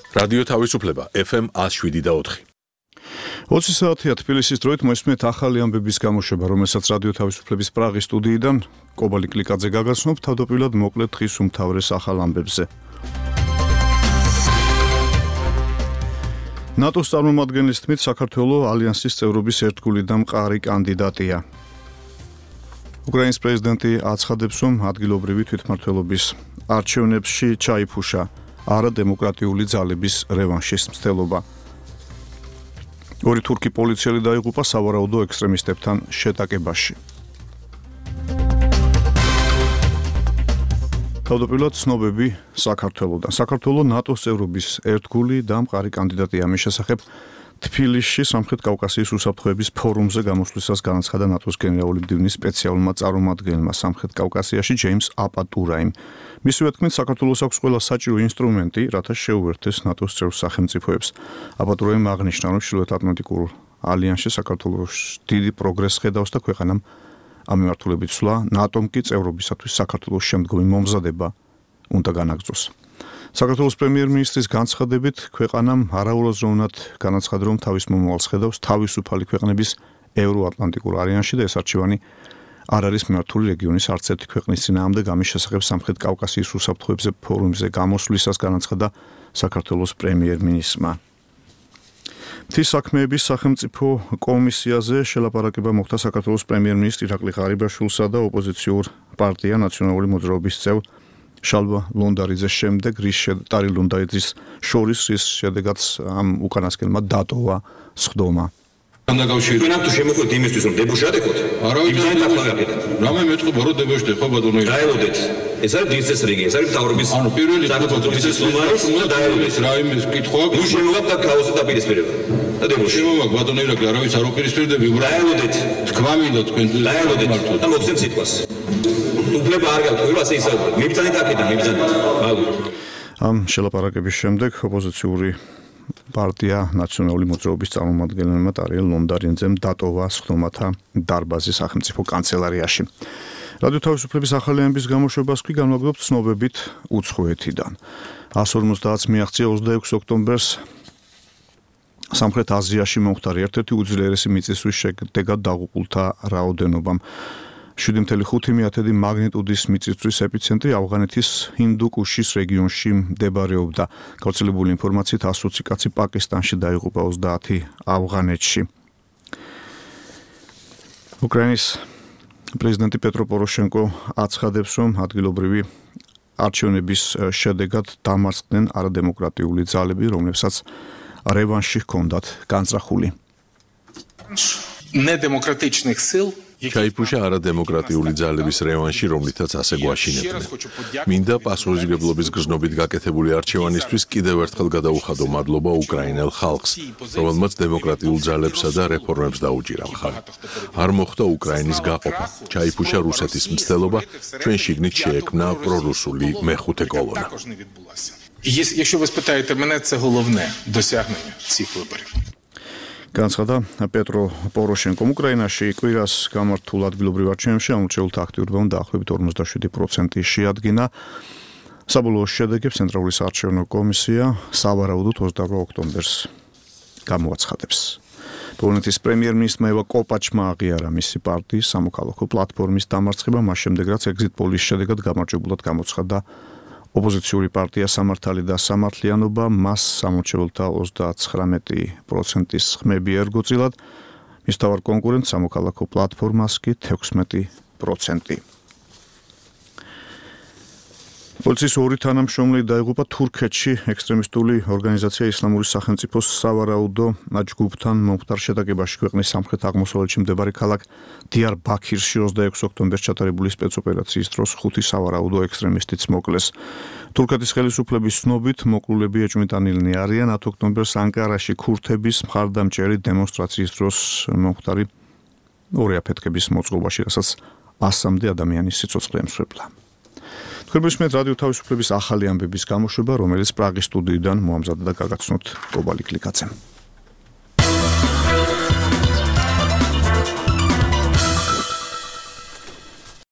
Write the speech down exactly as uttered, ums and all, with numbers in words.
რადიო თავისუფლება ეფ ემ one oh seven და four. ოცი საათია თბილისის დროით მოისმენთ ახალი ამბების გამოშვება, რომელსაც რადიო თავისუფლების პრაღის სტუდიიდან კობალი კლიკაძე გაგაცნობ, თავდაპირველად მოკლედ დღის უმთავრეს ახალ ამბებზე. ნატოს წარმომადგენლის თქმით, საქართველოს ალიანსის წევრობის ერთგული და მყარი კანდიდატია. უკრაინის პრეზიდენტი აცხადებს, რომ ადგილობრივი თვითმმართველობის არჩევნებში ჩაიფუშა არადემოკრატიული ძალების რევანშის მცდელობა. ორი თურქი პოლიციელი დაიღუპა სავარაუდო ექსტრემისტებთან შეტაკებაში. თავდაპირველად ცნობები საქართველოდან. საქართველოს ნატოს წევრობის ერთგული და მყარი კანდიდატია. ამის შესახებ თბილისში სამხრეთ კავკასიის უსაფრთხოების ფორუმზე გამოსვლისას განაცხადა ნატოს გენერალური მდივნის სპეციალურმა წარმომადგენელმა სამხრეთ კავკასიაში ჯეიმს აპატურაიმ. მისივე თქმით, საქართველოს აქვს ყველა საჭირო ინსტრუმენტი, რათა შეუერთდეს ნატოს წევრ სახელმწიფოებს. აპატურაიმ აღნიშნა, რომ ჩრდილოეთ ატლანტიკურ ალიანსში საქართველოს დიდი პროგრესს ხედავს და ქვეყანამ ამ მიმართულებით სვლა, ნატომ კი წევრობისათვის საქართველოს შემდგომი მომზადება უნდა განაგრძოს. საქართველოს პრემიერ-მინისტრის განცხადებით, ქვეყანამ არაურაზროვნად განაცხადა, რომ თავის მომავალს ხედავს თავისუფალი ქვეყნების ევროატლანტიკურ ალიანსში და ეს არჩევანი არ არის მიმართული რეგიონის არც ერთი ქვეყნის წინააღმდეგ. ამის შესახებ სამხრეთ კავკასიის უსაფრთხოებზე ფორუმზე გამოსვლისას განაცხადა საქართველოს პრემიერ-მინისტრმა. მთის საქმეების სახელმწიფო კომისიაზე შელაპარაკება მოხდა საქართველოს პრემიერ-მინისტრ ირაკლი ღარიბაშვილსა და ოპოზიციურ პარტია ნაციონალური მოძრაობის წევრ შალვა ლონდარიძეს შემდეგ, რის შეტარი ლონდარიძის შორის, რის შედეგაც ამ უკანასკნელმა დატოვა სხდომა. Ჩვენ ამ თუ შემოხვით იმისთვის, რომ დებოშადეკოთ, იმზანით აფლაგებთ. რამე მეტყობა, რომ დებოშდე, ხო ბატონო? დაელოდეთ. ეს არის დინსეს რიგი, ეს არის მთავრობის. ანუ პირველი სახელმწიფოს ლომარის უნდა დაელოდეთ. რა იმის კითხვა? ნუ შემოვაგდ აქ ქაოსი დაპირისპირება. და დებოშ. შემოვაგ ბატონო ირაკლი, არავის არ ოპირისპირდები, უბრალოდ დაელოდეთ. თქვა მინდა თქვენ დაელოდეთ და მოგცემ სიტყვას. უფლება არ გაქვთ, ყველა ასე ისაუბრეთ. მიბრძანეთ აქედან, მიბრძანეთ. მაგურ. ამ შელაპარაკების შემდეგ ოპოზიციური პარტია ნაციონალური მოძრაობის წარმომადგენელმა ტარიელ ლონდარიძემ დატოვა სხდომათა დარბაზი სახელმწიფო კანცელარიაში. რადიო თავისუფლების ახალი ამბების გამოშვებას კი განვაგრძობთ ცნობებით უცხოეთიდან. one forty მიაღწია ოცდაექვსი ოქტომბერს სამხრეთ აზიაში მომხდარი ერთ-ერთი უძლიერესი მიწისძვრის შედეგად დაღუპულთა რაოდენობამ. შვიდი კoma ხუთი მაგნიტუდის მიწისძვრის ეპიცენტრი ავღანეთის ჰინდუკუშის რეგიონში მდებარეობდა. გავრცელებული ინფორმაციით one twenty კაცი პაკისტანში დაიღუპა, ოცდაათი ავღანეთში. უკრაინის პრეზიდენტი პეტრო პოროშენკო აცხადებს, რომ ადგილობრივი არჩევნების შედეგად დამარცხდნენ არადემოკრატიული ძალები, რომლებსაც რევანში ჰქონდათ განზრახული. Недемократичних сил ჩაიფუშა არადემოკრატიული ძალების რევანში, რომლითაც ასე გვაშინებდნენ. მინდა პასუხისმგებლობის გზნობით გაკეთებული არჩევანისთვის კიდევ ერთხელ გადაუხადო მადლობა უკრაინელ ხალხს, რომელმაც დემოკრატიულ ძალებსა და რეფორმებს დაუჭირა მხარი. არ მოხდა უკრაინის გაყოფა, ჩაიფუშა რუსეთის მცდელობა, ჩვენ შიგნით შეექმნა პრორუსული მეხუთე კოლონა. Якщо ви спитаєте мене, це головне досягнення цих виборів. განაცხადა პეტრო პოროშენკომ. უკრაინაში კვირას გამართულ ადგილობრივ არჩევნებში ამორჩეულთა აქტიურობამ დაახლოებით ორმოცდაშვიდი პროცენტი შეადგინა. საბოლოო შედეგებს ცენტრალური საარჩევნო კომისია სავარაუდოდ ოცდაორი ოქტომბერს გამოაცხადებს. პოლონეთის პრემიერ-მინისტრმა ევა კოპაჩმა აღიარა მისი პარტიის სამოქალაქო პლატფორმის დამარცხება, მას შემდეგ რაც ეგზიტ პოლის შედეგად გამარჯვებულად გამოცხადდა ოპოზიციური პარტია სამართალი და სამართლიანობა, მას სამორჩეულთა ოცდაცხრამეტი პროცენტის ხმები ერგო წილად, მის მთავარ კონკურენტ სამოქალაქო პლატფორმას კი თექვსმეტი პროცენტი. პოლიციის ორი თანამშრომელი დაიღუპა თურქეთში ექსტრემისტული ორგანიზაცია ისლამური სახელმწიფოს სავარაუდო ჯგუფთან მომხდარ შეტაკებაში ქვეყნის სამხრეთ აღმოსავლეთში მდებარე ქალაქ დიარბაქირში ოცდაექვსი ოქტომბერს ჩატარებული სპეცოპერაციის დროს ხუთი სავარაუდო ექსტრემისტიც მოკლეს. თურქეთის ხელისუფლების ცნობით მოკლულები ეჭვმიტანილნი არიან. ათი ოქტომბერს ანკარაში ქურთების მხარდამჭერი დემონსტრაციის დროს მომხდარი ორი აფეთქების მოწყობაში, რასაც ასამდე ადამიანის სიცოცხლე ემსხვერპლა. თქვენ მისმენთ რადიო თავისუფლების ახალი ამბების გამოშვება, რომელიც პრაღის სტუდიიდან მოამზადდა და გაგაცნობთ კობალი კლიკაძემ.